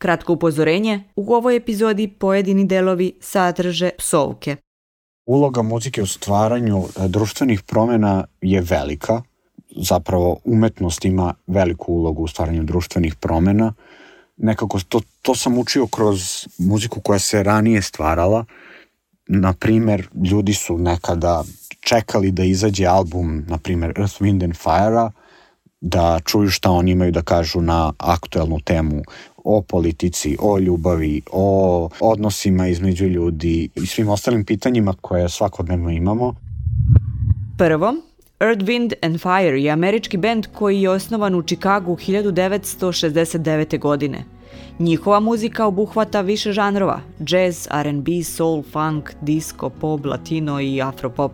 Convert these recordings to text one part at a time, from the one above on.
Kratko upozorenje, u ovoj epizodi pojedini delovi sadrže psovke. Uloga muzike u stvaranju društvenih promjena je velika. Zapravo umetnost ima veliku ulogu u stvaranju društvenih promjena. Nekako to sam učio kroz muziku koja se ranije stvarala. Na primjer, ljudi su nekada čekali da izađe album, na primjer Earth, Wind and Fire-a, da čuju šta oni imaju da kažu na aktuelnu temu o politici, o ljubavi, o odnosima između ljudi i svim ostalim pitanjima koje svakodnevno imamo. Prvo, Earth, Wind and Fire je američki bend koji je osnovan u Chicagu 1969. godine. Njihova muzika obuhvata više žanrova: jazz, R&B, soul, funk, disco, pop, latino i afropop.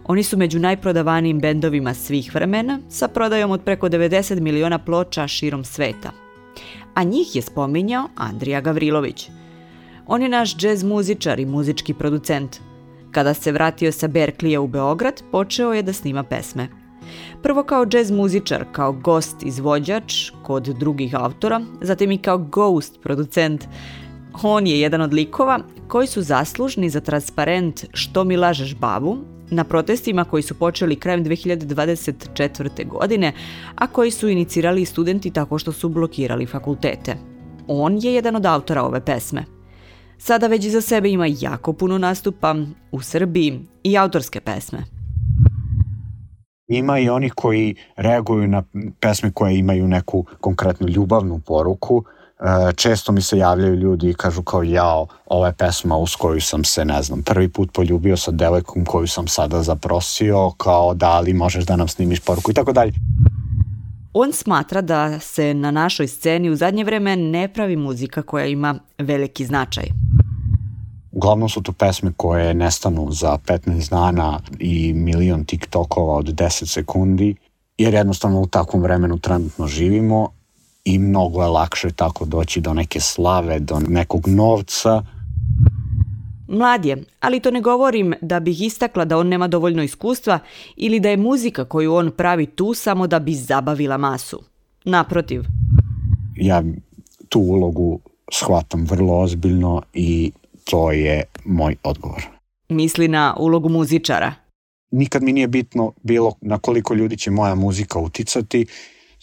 Oni su među najprodavanijim bendovima svih vremena, sa prodajom od preko 90 miliona ploča širom sveta. A njih je spominjao Andrija Gavrilović. On je naš džez muzičar i muzički producent. Kada se vratio sa Berkleya u Beograd, počeo je da snima pesme. Prvo kao džez muzičar, kao gost izvođač kod drugih autora, zatim i kao ghost producent. On je jedan od likova koji su zaslužni za transparent Što mi lažeš babu, na protestima koji su počeli krajem 2024. godine, a koji su inicirali studenti tako što su blokirali fakultete. On je jedan od autora ove pesme. Sada već iza sebe ima jako puno nastupa u Srbiji i autorske pesme. Ima i oni koji reaguju na pesme koje imaju neku konkretnu ljubavnu poruku. Često mi se javljaju ljudi i kažu kao jao, ova je pesma uz koju sam se, prvi put poljubio sa devojkom koju sam sada zaprosio, kao da li možeš da nam snimiš poruku i tako dalje. On smatra da se na našoj sceni u zadnje vreme ne pravi muzika koja ima veliki značaj. Uglavnom su to pesme koje nestanu za 15 dana i milion TikTokova od 10 sekundi, jer jednostavno u takvom vremenu trenutno živimo i mnogo je lakše tako doći do neke slave, do nekog novca. Mlad je, ali to ne govorim da bih istakla da on nema dovoljno iskustva ili da je muzika koju on pravi tu samo da bi zabavila masu. Naprotiv. Ja tu ulogu shvatam vrlo ozbiljno i to je moj odgovor. Misli na ulogu muzičara. Nikad mi nije bitno bilo na koliko ljudi će moja muzika uticati,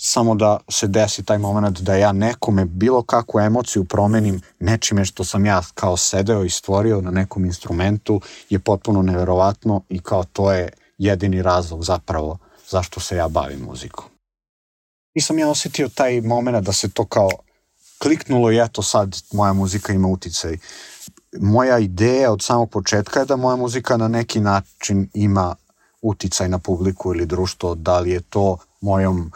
samo da se desi taj moment da ja nekome bilo kakvu emociju promenim nečime što sam ja kao sedeo i stvorio na nekom instrumentu je potpuno neverovatno i kao to je jedini razlog zapravo zašto se ja bavim muzikom. Nisam ja osjetio taj moment da se to kao kliknulo i eto sad moja muzika ima uticaj. Moja ideja od samog početka je da moja muzika na neki način ima uticaj na publiku ili društvo, da li je to mojom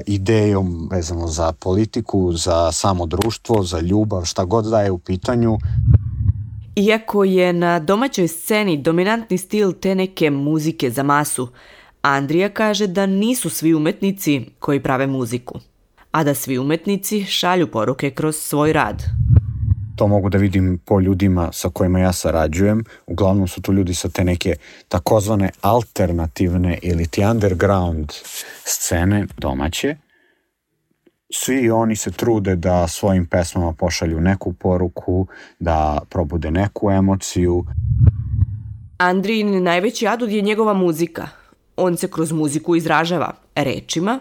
idejom vezano za politiku, za samo društvo, za ljubav, šta god da je u pitanju. Iako je na domaćoj sceni dominantni stil te neke muzike za masu, Andrija kaže da nisu svi umetnici koji prave muziku, a da svi umetnici šalju poruke kroz svoj rad. To mogu da vidim po ljudima sa kojima ja sarađujem. Uglavnom su tu ljudi sa te neke takozvane alternativne ili ti underground scene domaće. Svi oni se trude da svojim pesmama pošalju neku poruku, da probude neku emociju. Andrijin najveći adut je njegova muzika. On se kroz muziku izražava rečima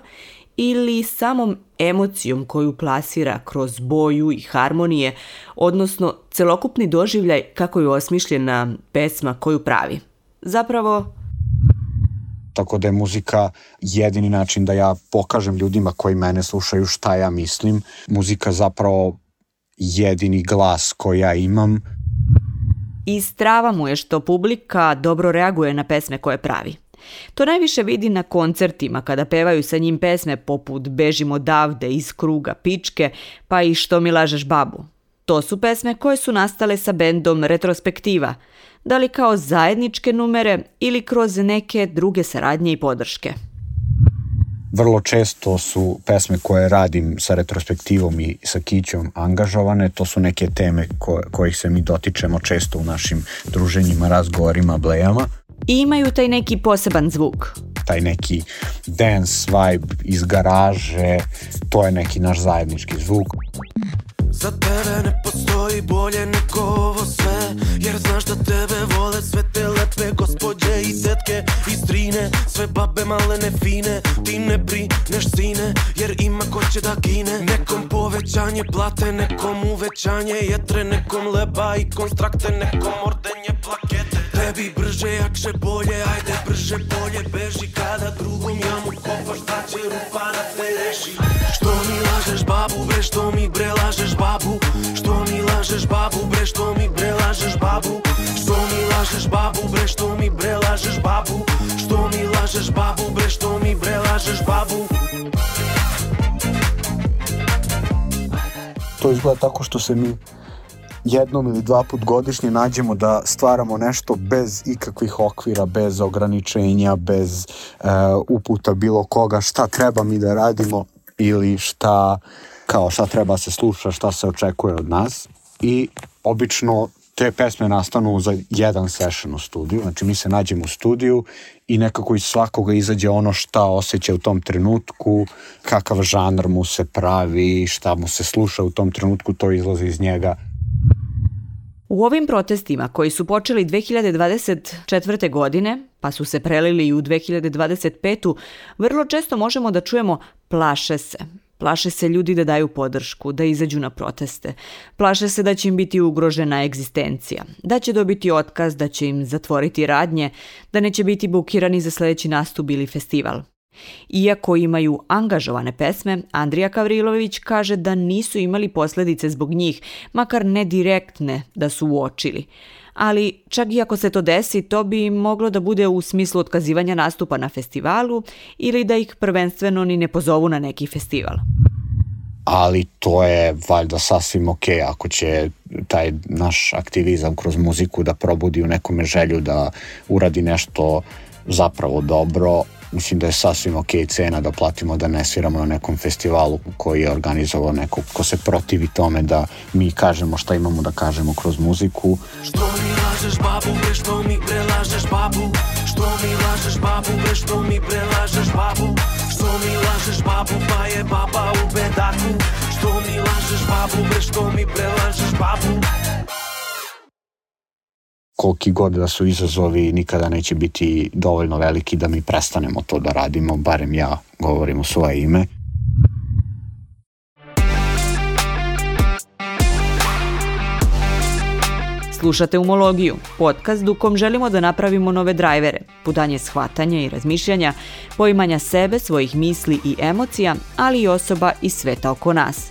ili samom emocijom koju plasira kroz boju i harmonije, odnosno celokupni doživljaj kako je osmišljena pesma koju pravi. Zapravo... Tako da je muzika jedini način da ja pokažem ljudima koji mene slušaju šta ja mislim. Muzika zapravo jedini glas koji ja imam. I strava mu je što publika dobro reaguje na pesme koje pravi. To najviše vidi na koncertima kada pevaju sa njim pesme poput Bežim odavde, Iz kruga pičke, pa i Što mi lažeš babu. To su pesme koje su nastale sa bendom Retrospektiva, da li kao zajedničke numere ili kroz neke druge saradnje i podrške. Vrlo često su pesme koje radim sa Retrospektivom i sa Kićom angažovane, to su neke teme kojih se mi dotičemo često u našim druženjima, razgovorima, blejama. I imaju taj neki poseban zvuk. Taj neki dance vibe iz garaže, to je neki naš zajednički zvuk. Za tebe ne postoji bolje nego ovo sve, jer znaš da tebe vole sve te lepe gospođe i tetke i strine, sve babe malene fine. Ti ne brineš sine, jer ima ko će da gine. Nekom povećanje plate, nekom uvećanje jetre, nekom leba i konstrakte, nekom ordenje plakete. Tebi brže, jakše, bolje, ajde brže, bolje beži. Kada drugom jamu kopaš, da će rupa da te reši. Što mi lažeš babu, bre, što mi bre lažeš babu? Što mi lažeš babu, bre, što mi bre lažeš babu? Što mi lažeš babu, bre, što mi bre lažeš babu? Što mi lažeš babu, bre, što mi bre lažeš babu? To izgleda tako što se mi jednom ili dva put godišnje nađemo da stvaramo nešto bez ikakvih okvira, bez ograničenja, bez uputa bilo koga, šta treba mi da radimo ili šta treba se sluša, šta se očekuje od nas. I obično te pesme nastanu za jedan session u studiju, znači mi se nađemo u studiju i nekako iz svakoga izađe ono šta osjeća u tom trenutku, kakav žanr mu se pravi, šta mu se sluša u tom trenutku, to izlazi iz njega. U ovim protestima koji su počeli 2024. godine, pa su se prelili i u 2025. vrlo često možemo da čujemo plaše se. Plaše se ljudi da daju podršku, da izađu na proteste. Plaše se da će im biti ugrožena egzistencija, da će dobiti otkaz, da će im zatvoriti radnje, da neće biti bukirani za sledeći nastup ili festival. Iako imaju angažovane pesme, Andrija Gavrilović kaže da nisu imali posljedice zbog njih, makar ne direktne da su uočili. Ali čak i ako se to desi, to bi moglo da bude u smislu otkazivanja nastupa na festivalu ili da ih prvenstveno ni ne pozovu na neki festival. Ali to je valjda sasvim okej ako će taj naš aktivizam kroz muziku da probudi u nekome želju da uradi nešto zapravo dobro. Mislim da je sasvim okej cena da platimo da ne sviramo na nekom festivalu koji je organizovao neko ko se protivi tome da mi kažemo šta imamo da kažemo kroz muziku. Što mi lažeš babu, bre, što mi bre lažeš babu? Što mi lažeš babu, bre, što mi bre lažeš babu? Što mi lažeš babu, pa je baba u bedaku? Što mi lažeš babu, bre, što mi bre lažeš babu? Koliki god da su izazovi, nikada neće biti dovoljno veliki da mi prestanemo to da radimo, barem ja govorim u svoje ime. Slušate Umologiju, podcast u kom želimo da napravimo nove drajvere, putanje shvatanja i razmišljanja, poimanja sebe, svojih misli i emocija, ali i osoba iz sveta oko nas.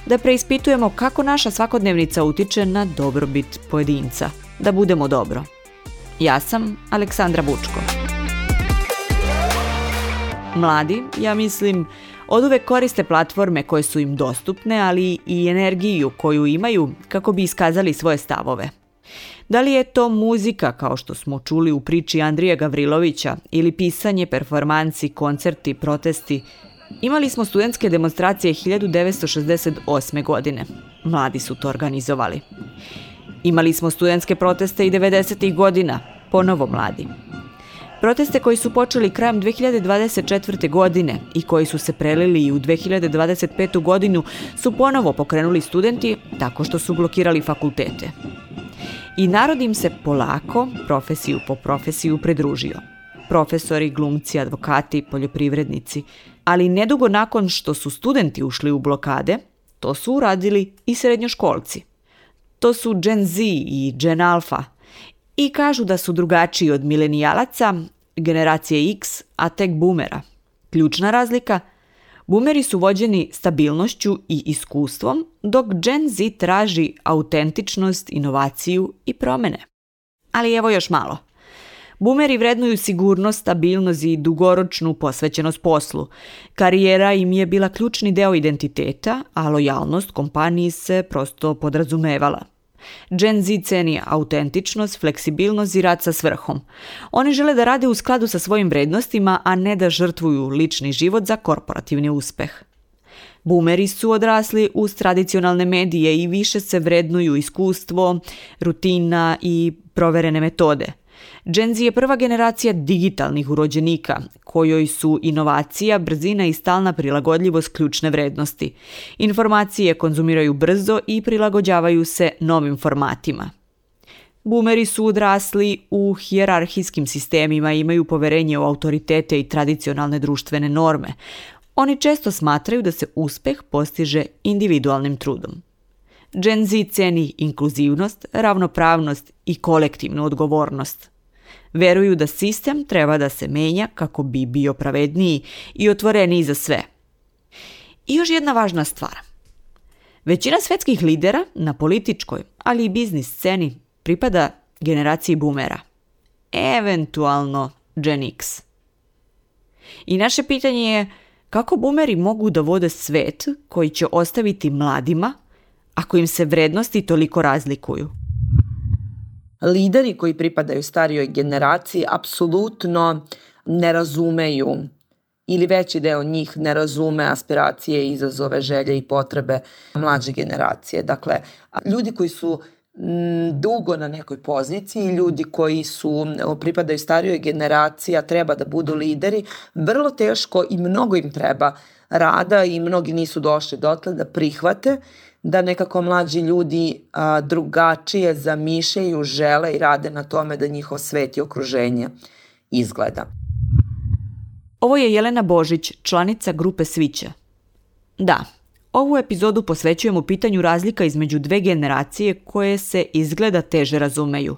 Da preispitujemo kako naša svakodnevnica utiče na dobrobit pojedinca. Da budemo dobro. Ja sam Aleksandra Bučko. Mladi, ja mislim, oduvek koriste platforme koje su im dostupne, ali i energiju koju imaju kako bi iskazali svoje stavove. Da li je to muzika, kao što smo čuli u priči Andrije Gavrilovića, ili pisanje, performansi, koncerti, protesti? Imali smo studentske demonstracije 1968. godine. Mladi su to organizovali. Imali smo studentske proteste i 90. godina, ponovo mladi. Proteste koji su počeli krajem 2024. godine i koji su se prelili i u 2025. godinu su ponovo pokrenuli studenti tako što su blokirali fakultete. I narod im se polako, profesiju po profesiju, pridružio. Profesori, glumci, advokati, poljoprivrednici. Ali nedugo nakon što su studenti ušli u blokade, to su uradili i srednjoškolci. To su Gen Z i Gen Alpha i kažu da su drugačiji od milenijalaca, generacije X, a tek boomera. Ključna razlika? Boomeri su vođeni stabilnošću i iskustvom, dok Gen Z traži autentičnost, inovaciju i promene. Ali evo još malo. Boomeri vrednuju sigurnost, stabilnost i dugoročnu posvećenost poslu. Karijera im je bila ključni deo identiteta, a lojalnost kompaniji se prosto podrazumevala. Gen Z ceni autentičnost, fleksibilnost i rad sa svrhom. Oni žele da rade u skladu sa svojim vrednostima, a ne da žrtvuju lični život za korporativni uspeh. Boomeri su odrasli uz tradicionalne medije i više se vrednuju iskustvo, rutina i proverene metode. Gen Z je prva generacija digitalnih urođenika, kojoj su inovacija, brzina i stalna prilagodljivost ključne vrednosti. Informacije konzumiraju brzo i prilagođavaju se novim formatima. Boomeri su odrasli u hijerarhijskim sistemima i imaju poverenje u autoritete i tradicionalne društvene norme. Oni često smatraju da se uspeh postiže individualnim trudom. Gen Z ceni inkluzivnost, ravnopravnost i kolektivnu odgovornost. Veruju da sistem treba da se menja kako bi bio pravedniji i otvoreniji za sve. I još jedna važna stvar. Većina svetskih lidera na političkoj, ali i biznis sceni pripada generaciji boomera. Eventualno Gen X. I naše pitanje je kako boomeri mogu da vode svet koji će ostaviti mladima ako im se vrednosti toliko razlikuju? Lideri koji pripadaju starijoj generaciji apsolutno ne razumeju ili veći deo njih ne razume aspiracije, izazove, želje i potrebe mlađe generacije. Dakle, ljudi koji su dugo na nekoj poziciji, ljudi koji pripadaju starijoj generaciji, a treba da budu lideri, vrlo teško i mnogo im treba rada i mnogi nisu došli dotle da prihvate da nekako mlađi ljudi drugačije zamišljaju, žele i rade na tome da njihov svet i okruženje izgleda. Ovo je Jelena Božić, članica grupe Svića. Da, ovu epizodu posvećujemo pitanju razlika između dve generacije koje se izgleda teže razumeju.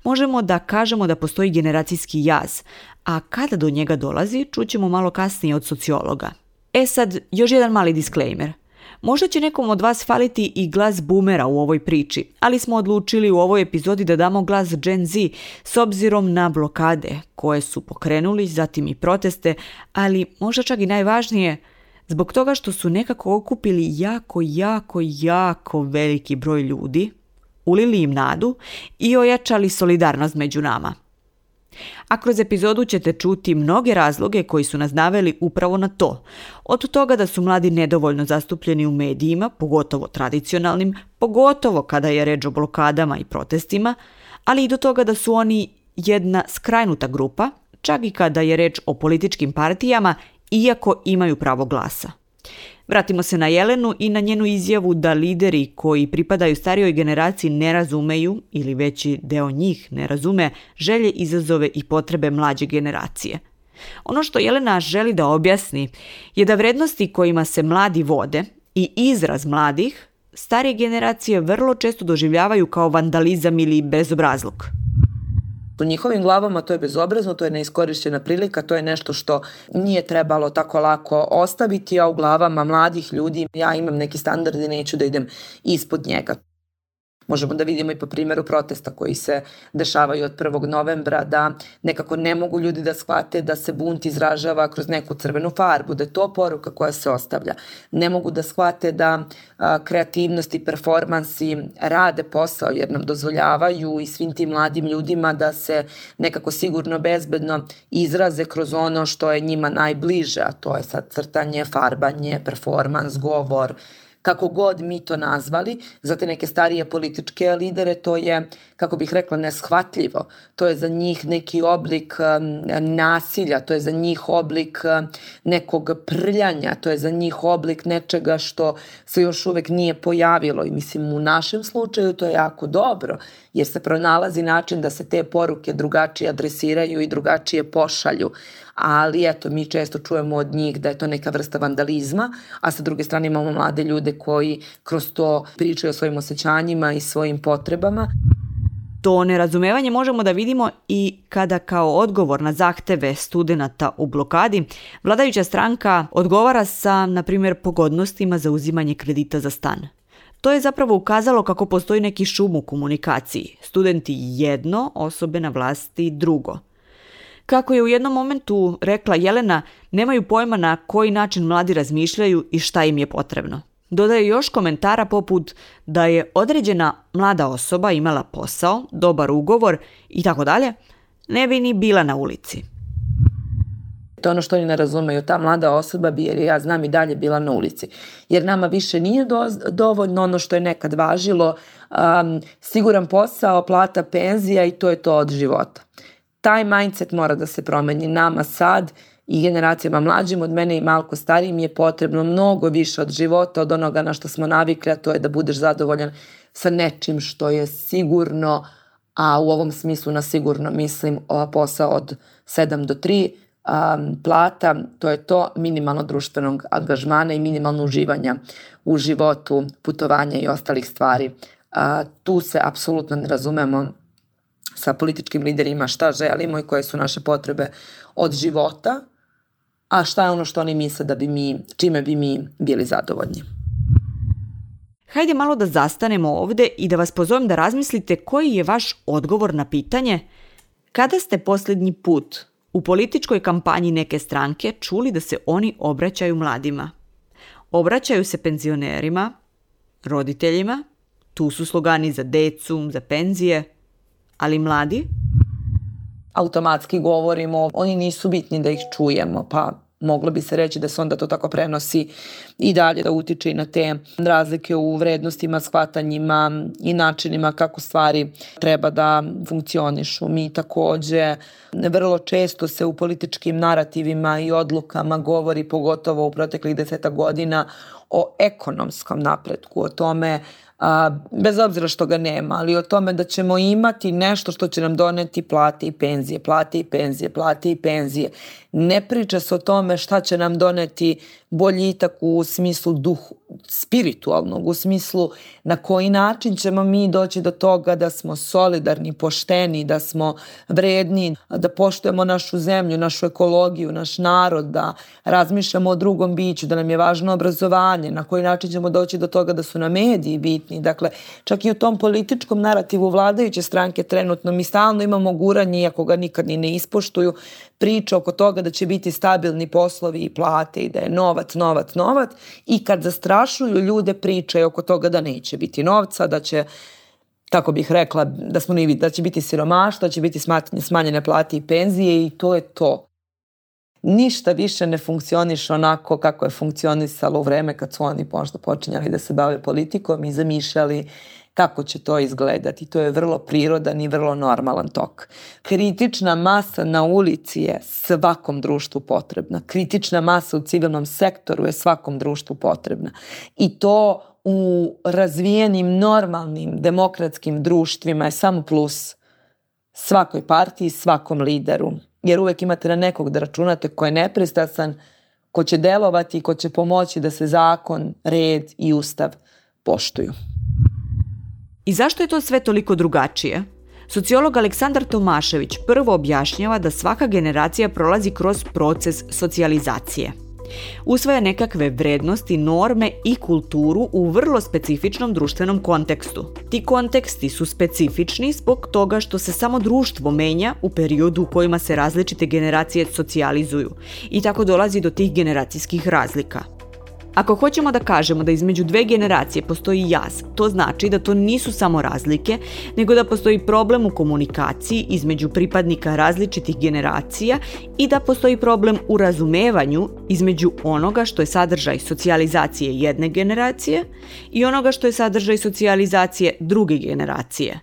Možemo da kažemo da postoji generacijski jaz, a kada do njega dolazi, čućemo malo kasnije od sociologa. Sad, još jedan mali disclaimer. Možda će nekom od vas faliti i glas boomera u ovoj priči, ali smo odlučili u ovoj epizodi da damo glas Gen Z s obzirom na blokade koje su pokrenuli, zatim i proteste, ali možda čak i najvažnije, zbog toga što su nekako okupili jako veliki broj ljudi, ulili im nadu i ojačali solidarnost među nama. A kroz epizodu ćete čuti mnoge razloge koji su nas naveli upravo na to. Od toga da su mladi nedovoljno zastupljeni u medijima, pogotovo tradicionalnim, pogotovo kada je reč o blokadama i protestima, ali i do toga da su oni jedna skrajnuta grupa, čak i kada je reč o političkim partijama, iako imaju pravo glasa. Vratimo se na Jelenu i na njenu izjavu da lideri koji pripadaju starijoj generaciji ne razumeju, ili veći deo njih ne razume, želje, izazove i potrebe mlađe generacije. Ono što Jelena želi da objasni je da vrednosti kojima se mladi vode i izraz mladih, starije generacije vrlo često doživljavaju kao vandalizam ili bezobrazluk. U njihovim glavama to je bezobrazno, to je neiskorišćena prilika, to je nešto što nije trebalo tako lako ostaviti, a u glavama mladih ljudi ja imam neki standard i neću da idem ispod njega. Možemo da vidimo i po primjeru protesta koji se dešavaju od 1. novembra, da nekako ne mogu ljudi da shvate da se bunt izražava kroz neku crvenu farbu, da je to poruka koja se ostavlja. Ne mogu da shvate da kreativnost i performansi rade posao jer nam dozvoljavaju i svim tim mladim ljudima da se nekako sigurno bezbedno izraze kroz ono što je njima najbliže, a to je sad crtanje, farbanje, performans, govor. Kako god mi to nazvali, za te neke starije političke lidere to je, kako bih rekla, neshvatljivo. To je za njih neki oblik nasilja, to je za njih oblik nekog prljanja, to je za njih oblik nečega što se još uvek nije pojavilo. I mislim, u našem slučaju to je jako dobro, jer se pronalazi način da se te poruke drugačije adresiraju i drugačije pošalju. Ali eto, mi često čujemo od njih da je to neka vrsta vandalizma, a sa druge strane imamo mlade ljude koji kroz to pričaju o svojim osjećanjima i svojim potrebama. To nerazumevanje možemo da vidimo i kada kao odgovor na zahteve studenata u blokadi vladajuća stranka odgovara sa, na primjer, pogodnostima za uzimanje kredita za stan. To je zapravo ukazalo kako postoji neki šum u komunikaciji. Studenti jedno, osobe na vlasti drugo. Kako je u jednom momentu rekla Jelena, nemaju pojma na koji način mladi razmišljaju i šta im je potrebno. Dodaje još komentara poput da je određena mlada osoba imala posao, dobar ugovor i tako dalje, ne bi ni bila na ulici. To je ono što oni ne razumeju. Ta mlada osoba bi, jer ja znam, i dalje bila na ulici. Jer nama više nije dovoljno ono što je nekad važilo, siguran posao, plata, penzija i to je to od života. Taj mindset mora da se promeni. Nama sad i generacijama mlađim od mene i malko starijim je potrebno mnogo više od života, od onoga na što smo navikli, a to je da budeš zadovoljan sa nečim što je sigurno, a u ovom smislu na sigurno mislim posao od 7 do 3, plata, to je to, minimalno društvenog angažmana i minimalno uživanja u životu, putovanja i ostalih stvari. Tu se apsolutno ne razumemo sa političkim liderima šta želimo i koje su naše potrebe od života, a šta je ono što oni misle čime bi mi bili zadovoljni. Hajde malo da zastanemo ovde i da vas pozovem da razmislite koji je vaš odgovor na pitanje kada ste posljednji put u političkoj kampanji neke stranke čuli da se oni obraćaju mladima. Obraćaju se penzionerima, roditeljima, tu su slogani za decu, za penzije, ali mladi? Automatski govorimo, oni nisu bitni da ih čujemo, pa moglo bi se reći da se onda to tako prenosi i dalje, da utiče i na te razlike u vrednostima, shvatanjima i načinima kako stvari treba da funkcionišu. Mi takođe vrlo često se u političkim narativima i odlukama govori, pogotovo u proteklih 10 godina, o ekonomskom napretku, o tome, bez obzira što ga nema, ali o tome da ćemo imati nešto što će nam doneti plate i penzije, plate i penzije, plate i penzije. Ne priča se o tome šta će nam doneti boljitak u smislu spiritualnog, u smislu na koji način ćemo mi doći do toga da smo solidarni, pošteni, da smo vredni, da poštujemo našu zemlju, našu ekologiju, naš narod, da razmišljamo o drugom biću, da nam je važno obrazovanje, na koji način ćemo doći do toga da su nam mediji bitni. Dakle, čak i u tom političkom narativu vladajuće stranke trenutno mi stalno imamo guranje, iako ga nikad ni ne ispoštuju, priča oko toga da će biti stabilni poslovi i plate i da je novac i kad zastrašuju ljude pričaju oko toga da neće biti novca, da će, kako bih rekla, da će biti siromaštvo, da će biti smanjene plate i penzije i to je to. Ništa više ne funkcioniše onako kako je funkcionisalo u vreme kad su oni možda počinjali da se bave politikom i zamišljali kako će to izgledati. To je vrlo prirodan i vrlo normalan tok. Kritična masa na ulici je svakom društvu potrebna. Kritična masa u civilnom sektoru je svakom društvu potrebna. I to u razvijenim, normalnim, demokratskim društvima je samo plus svakoj partiji, svakom lideru. Jer uvek imate na nekog da računate ko je nepristrasan, ko će delovati i ko će pomoći da se zakon, red i ustav poštuju. I zašto je to sve toliko drugačije? Sociolog Aleksandar Tomašević prvo objašnjava da svaka generacija prolazi kroz proces socijalizacije. Usvaja nekakve vrednosti, norme i kulturu u vrlo specifičnom društvenom kontekstu. Ti konteksti su specifični zbog toga što se samo društvo menja u periodu u kojima se različite generacije socijalizuju i tako dolazi do tih generacijskih razlika. Ako hoćemo da kažemo da između dve generacije postoji jaz, to znači da to nisu samo razlike, nego da postoji problem u komunikaciji između pripadnika različitih generacija i da postoji problem u razumevanju između onoga što je sadržaj socijalizacije jedne generacije i onoga što je sadržaj socijalizacije druge generacije.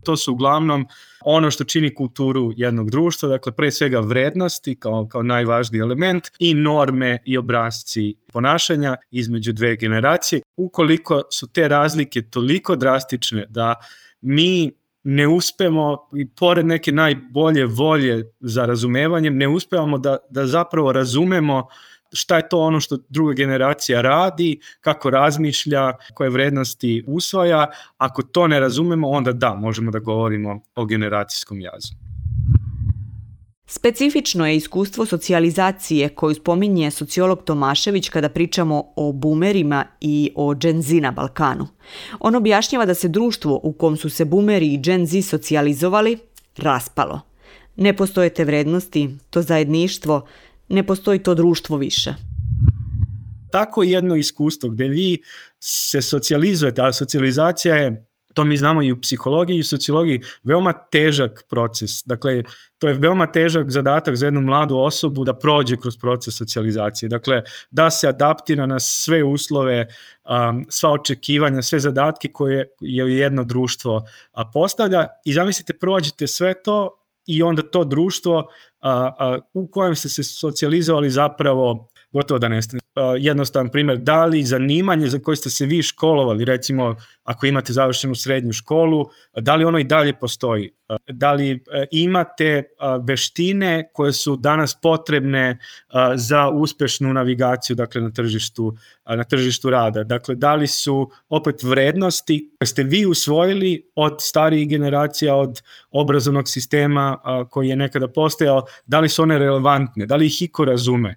To su uglavnom ono što čini kulturu jednog društva, dakle pre svega vrednosti kao najvažniji element i norme i obrasci ponašanja između dve generacije. Ukoliko su te razlike toliko drastične da mi ne uspemo, i pored neke najbolje volje za razumevanjem, ne uspevamo da zapravo razumemo šta je to ono što druga generacija radi, kako razmišlja, koje vrednosti usvaja. Ako to ne razumemo, onda da, možemo da govorimo o generacijskom jazu. Specifično je iskustvo socijalizacije koju spominje sociolog Tomašević kada pričamo o boomerima i o Gen Z na Balkanu. On objašnjava da se društvo u kom su se boomeri i Gen Z socijalizovali raspalo. Ne postoje te vrednosti, to zajedništvo, ne postoji to društvo više. Tako jedno iskustvo gdje vi se socijalizujete, a socijalizacija je to mi znamo i u psihologiji i u sociologiji, veoma težak proces. Dakle, to je veoma težak zadatak za jednu mladu osobu da prođe kroz proces socijalizacije. Dakle, da se adaptira na sve uslove, sva očekivanja, sve zadatke koje je jedno društvo postavlja i zamislite, prođete sve to i onda to društvo u kojem ste se socijalizovali zapravo gotovo da nestane. Jednostavan primjer, da li zanimanje za koje ste se vi školovali, recimo ako imate završenu srednju školu, da li ono i dalje postoji? Da li imate veštine koje su danas potrebne za uspešnu navigaciju, dakle, na tržištu rada? Dakle, da li su opet vrednosti koje ste vi usvojili od starijih generacija, od obrazovnog sistema koji je nekada postojao, da li su one relevantne, da li ih iko razume?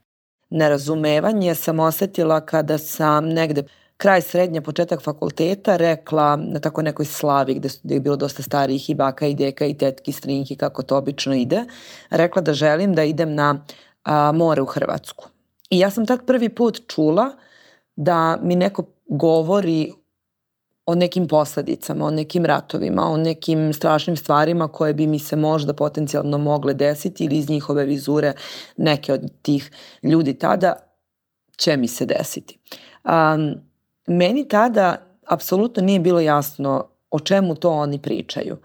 Nerazumevanje sam osetila kada sam negde kraj srednje, početak fakulteta rekla na tako nekoj slavi gde je bilo dosta starijih i baka i deka i tetki, strinjki, kako to obično ide, rekla da želim da idem na more u Hrvatsku. I ja sam tad prvi put čula da mi neko govori o nekim posledicama, o nekim ratovima, o nekim strašnim stvarima koje bi mi se možda potencijalno mogle desiti ili iz njihove vizure neke od tih ljudi tada će mi se desiti. Meni tada apsolutno nije bilo jasno o čemu to oni pričaju.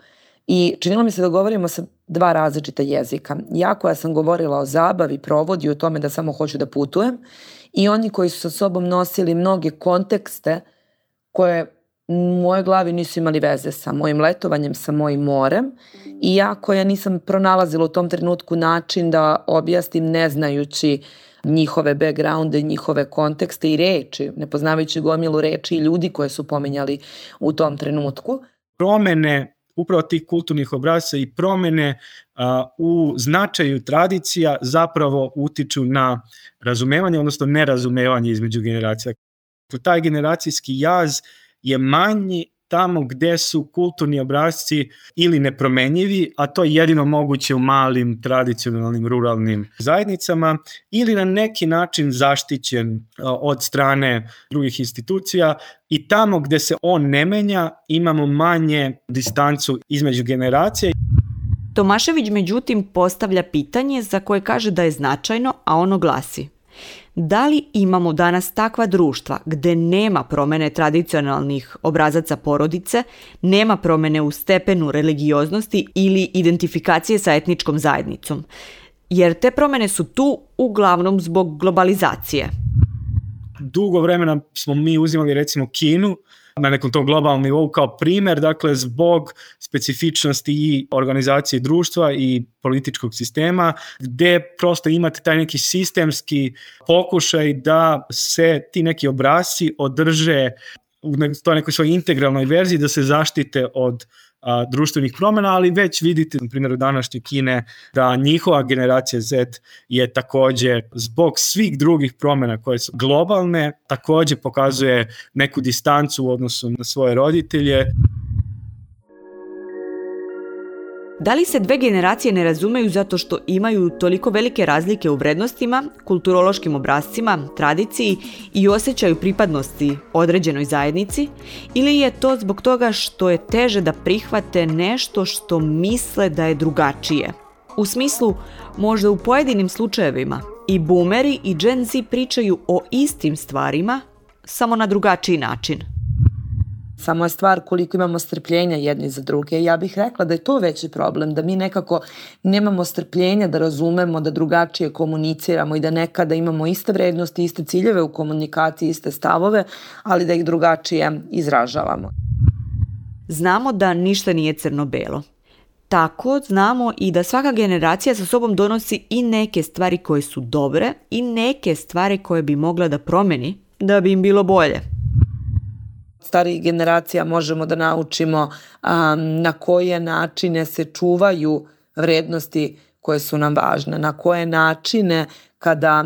I činilo mi se da govorimo sa dva različita jezika. Ja koja sam govorila o zabavi, provodi, o tome da samo hoću da putujem, i oni koji su sa sobom nosili mnoge kontekste koje u mojoj glavi nisu imali veze sa mojim letovanjem, sa mojim morem, i ja koja nisam pronalazila u tom trenutku način da objasnim ne znajući njihove backgrounde, njihove kontekste i reči, ne poznavajući gomilu reči i ljudi koje su pominjali u tom trenutku. Promene upravo tih kulturnih obrasca i promene u značaju tradicija zapravo utiču na razumevanje, odnosno nerazumevanje između generacija. Taj generacijski jaz je manji tamo gde su kulturni obrasci ili nepromenjivi, a to je jedino moguće u malim, tradicionalnim, ruralnim zajednicama, ili na neki način zaštićen od strane drugih institucija, i tamo gde se on ne menja imamo manje distancu između generacija. Tomašević međutim postavlja pitanje za koje kaže da je značajno, a ono glasi: da li imamo danas takva društva gde nema promene tradicionalnih obrazaca porodice, nema promene u stepenu religioznosti ili identifikacije sa etničkom zajednicom? Jer te promene su tu uglavnom zbog globalizacije. Dugo vremena smo mi uzimali recimo Kinu na nekom tom globalnom nivou kao primer, dakle zbog specifičnosti i organizacije društva i političkog sistema, gde prosto imate taj neki sistemski pokušaj da se ti neki obrasci održe u toj nekoj svojoj integralnoj verziji, da se zaštite od društvenih promjena, ali već vidite na primjeru današnje Kine da njihova generacija Z je takođe zbog svih drugih promjena koje su globalne takođe pokazuje neku distancu u odnosu na svoje roditelje. Da li se dve generacije ne razumeju zato što imaju toliko velike razlike u vrednostima, kulturološkim obrascima, tradiciji i osjećaju pripadnosti određenoj zajednici, ili je to zbog toga što je teže da prihvate nešto što misle da je drugačije? U smislu, možda u pojedinim slučajevima i boomeri i Gen Z pričaju o istim stvarima, samo na drugačiji način. Samo je stvar koliko imamo strpljenja jedni za druge. Ja bih rekla da je to veći problem, da mi nekako nemamo strpljenja da razumemo, da drugačije komuniciramo i da nekada imamo iste vrednosti, iste ciljeve u komunikaciji, iste stavove, ali da ih drugačije izražavamo. Znamo da ništa nije crno-belo. Tako znamo i da svaka generacija sa sobom donosi i neke stvari koje su dobre i neke stvari koje bi mogla da promeni da bi im bilo bolje. Starijih generacija možemo da naučimo na koje načine se čuvaju vrednosti koje su nam važne, na koje načine kada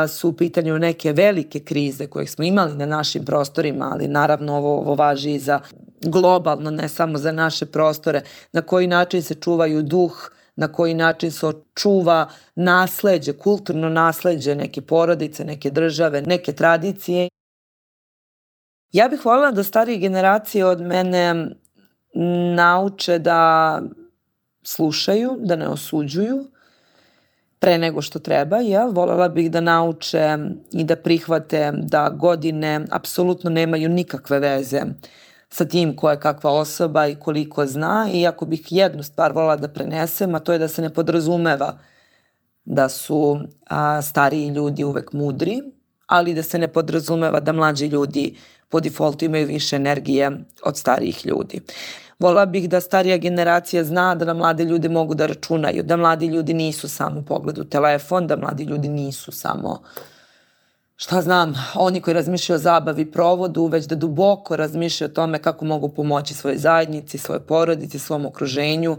su u pitanju neke velike krize koje smo imali na našim prostorima, ali naravno ovo važi i za globalno, ne samo za naše prostore, na koji način se čuvaju duh, na koji način se očuva nasleđe, kulturno nasleđe neke porodice, neke države, neke tradicije. Ja bih voljela da starije generacije od mene nauče da slušaju, da ne osuđuju pre nego što treba. Volela bih da nauče i da prihvate da godine apsolutno nemaju nikakve veze sa tim ko je kakva osoba i koliko zna. I ako bih jednu stvar volela da prenesem, a to je da se ne podrazumeva da su stariji ljudi uvek mudri, ali da se ne podrazumeva da mlađi ljudi po defaultu imaju više energije od starijih ljudi. Volela bih da starija generacija zna da na mlade ljude mogu da računaju, da mladi ljudi nisu samo pogled u telefon, da mladi ljudi nisu samo, oni koji razmišljaju o zabavi i provodu, već da duboko razmišljaju o tome kako mogu pomoći svojoj zajednici, svojoj porodici, svom okruženju.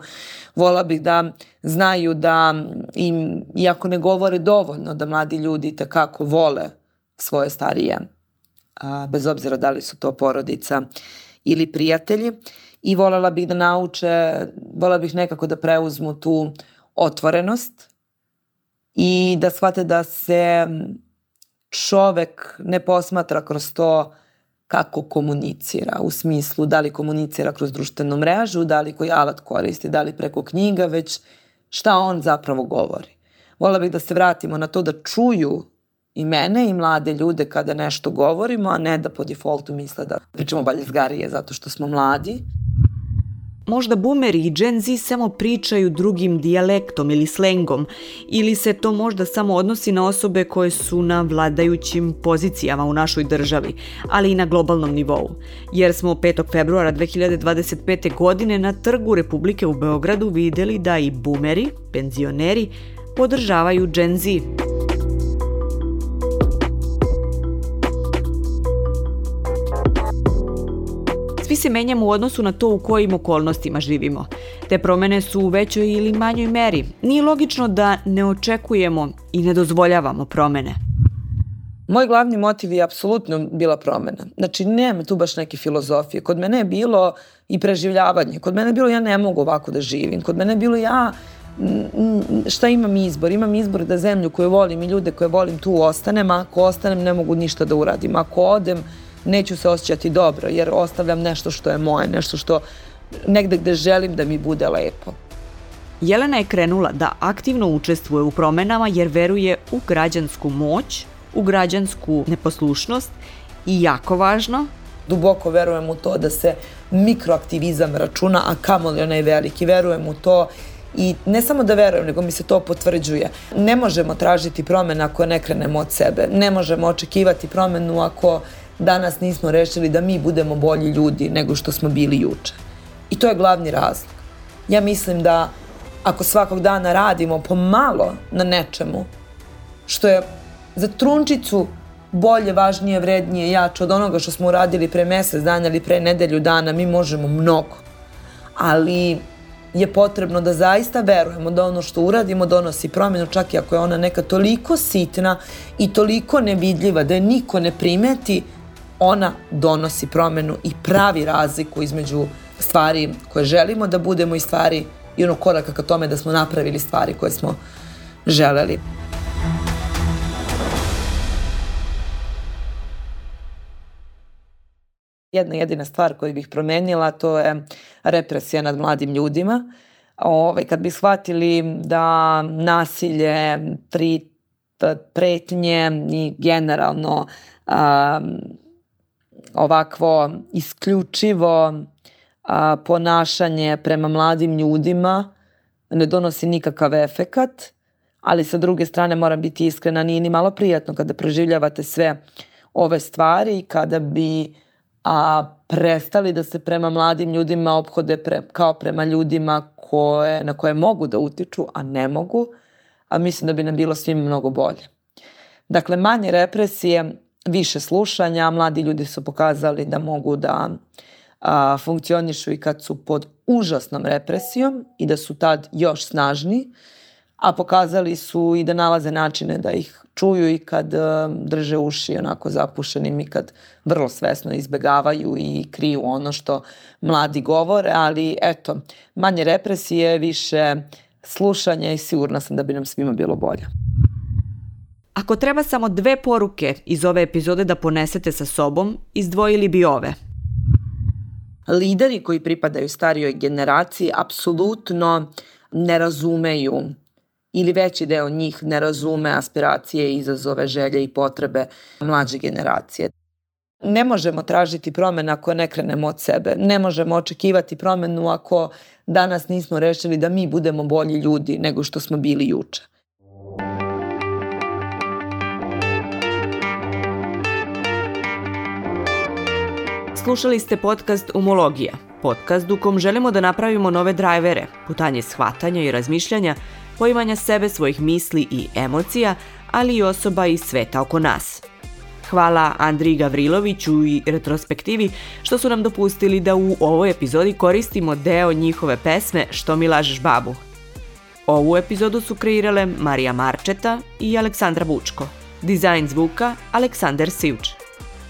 Volela bih da znaju da im, iako ne govore dovoljno, da mladi ljudi takako vole svoje starije, bez obzira da li su to porodica ili prijatelji. I volela bih da nauče, volela bih nekako da preuzmu tu otvorenost i da shvate da se čovek ne posmatra kroz to kako komunicira, u smislu da li komunicira kroz društvenu mrežu, da li koji alat koristi, da li preko knjiga, već šta on zapravo govori. Volela bih da se vratimo na to da čuju i mene i mlade ljude kada nešto govorimo, a ne da po defaultu misle da pričamo baljezgarije zato što smo mladi. Možda boomeri i Gen Z samo pričaju drugim dijalektom ili slengom, ili se to možda samo odnosi na osobe koje su na vladajućim pozicijama u našoj državi, ali i na globalnom nivou. Jer smo 5. februara 2025. godine na Trgu Republike u Beogradu videli da i boomeri, penzioneri, podržavaju Gen Z. Svi se menjamo u odnosu na to u kojim okolnostima živimo. Te promene su u većoj ili manjoj meri. Nije logično da ne očekujemo i ne dozvoljavamo promene. Moj glavni motiv je apsolutno bila promena. Znači, nema tu baš neke filozofije. Kod mene je bilo i preživljavanje. Kod mene je bilo ja ne mogu ovako da živim. Kod mene je bilo šta imam izbor? Imam izbor da zemlju koju volim i ljude koje volim tu ostanem, a ako ostanem ne mogu ništa da uradim. Ako odem, neću se osjećati dobro jer ostavljam nešto što je moje, nešto što negde gde želim da mi bude lepo. Jelena je krenula da aktivno učestvuje u promenama jer veruje u građansku moć, u građansku neposlušnost i jako važno, duboko verujem u to da se mikroaktivizam računa, a kamoli onaj veliki. Verujem u to i ne samo da verujem, nego mi se to potvrđuje. Ne možemo tražiti promene ako ne krenemo od sebe. Ne možemo očekivati promenu ako danas nismo rešili da mi budemo bolji ljudi nego što smo bili juče. I to je glavni razlog. Ja mislim da ako svakog dana radimo pomalo na nečemu što je za trunčicu bolje, važnije, vrednije, jače od onoga što smo uradili pre mesec dana ili pre nedelju dana, mi možemo mnogo. Ali je potrebno da zaista verujemo da ono što uradimo donosi promjenu, čak i ako je ona neka toliko sitna i toliko nevidljiva da je niko ne primeti, ona donosi promjenu i pravi razliku između stvari koje želimo da budemo i stvari i onog koraka ka tome da smo napravili stvari koje smo želeli. Jedna jedina stvar koju bih promenila, to je represija nad mladim ljudima. Kad bi shvatili da nasilje, pretnje i generalno ovakvo isključivo ponašanje prema mladim ljudima ne donosi nikakav efekat, ali sa druge strane moram biti iskrena, nije ni malo prijatno kada proživljavate sve ove stvari, kada bi prestali da se prema mladim ljudima ophode kao prema ljudima na koje mogu da utiču, a ne mogu, a mislim da bi nam bilo svima mnogo bolje. Dakle, manje represije, više slušanja, mladi ljudi su pokazali da mogu da funkcionišu i kad su pod užasnom represijom i da su tad još snažniji, a pokazali su i da nalaze načine da ih čuju i kad drže uši onako zapušenim i kad vrlo svesno izbegavaju i kriju ono što mladi govore, ali eto, manje represije, više slušanja i sigurna sam da bi nam svima bilo bolje. Ako treba samo 2 poruke iz ove epizode da ponesete sa sobom, izdvojili bi ove. lideri koji pripadaju starijoj generaciji apsolutno ne razumeju ili veći deo njih ne razume aspiracije, izazove, želje i potrebe mlađe generacije. Ne možemo tražiti promjenu ako ne krenemo od sebe. Ne možemo očekivati promjenu ako danas nismo rešili da mi budemo bolji ljudi nego što smo bili juče. Slušali ste podcast Umologija, podcast u kom želimo da napravimo nove drajvere, putanje shvatanja i razmišljanja, poimanja sebe, svojih misli i emocija, ali i osoba iz sveta oko nas. Hvala Andriji Gavriloviću i Retrospektivi što su nam dopustili da u ovoj epizodi koristimo deo njihove pesme Što mi lažeš babu. Ovu epizodu su kreirale Marija Marčeta i Aleksandra Bučko. Dizajn zvuka Aleksandar Sivč.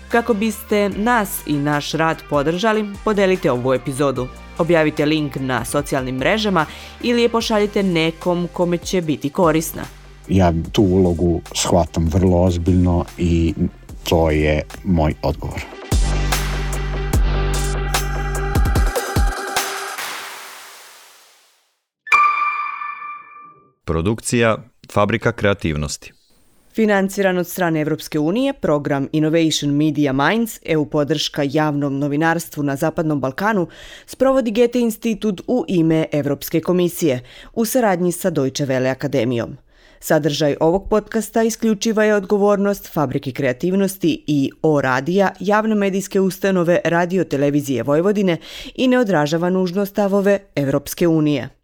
Kako biste nas i naš rad podržali, podelite ovu epizodu. Objavite link na socijalnim mrežama ili je pošaljite nekom kome će biti korisna. Ja tu ulogu shvatam vrlo ozbiljno i to je moj odgovor. Produkcija Fabrika kreativnosti. Financiran od strane Evropske unije, program Innovation Media Minds, EU podrška javnom novinarstvu na Zapadnom Balkanu, sprovodi Goethe institut u ime Evropske komisije, u saradnji sa Deutsche Welle akademijom. Sadržaj ovog podcasta isključiva je odgovornost Fabrike kreativnosti i O-radija, javne medijske ustanove Radio Televizije Vojvodine i ne odražava nužno stavove Evropske unije.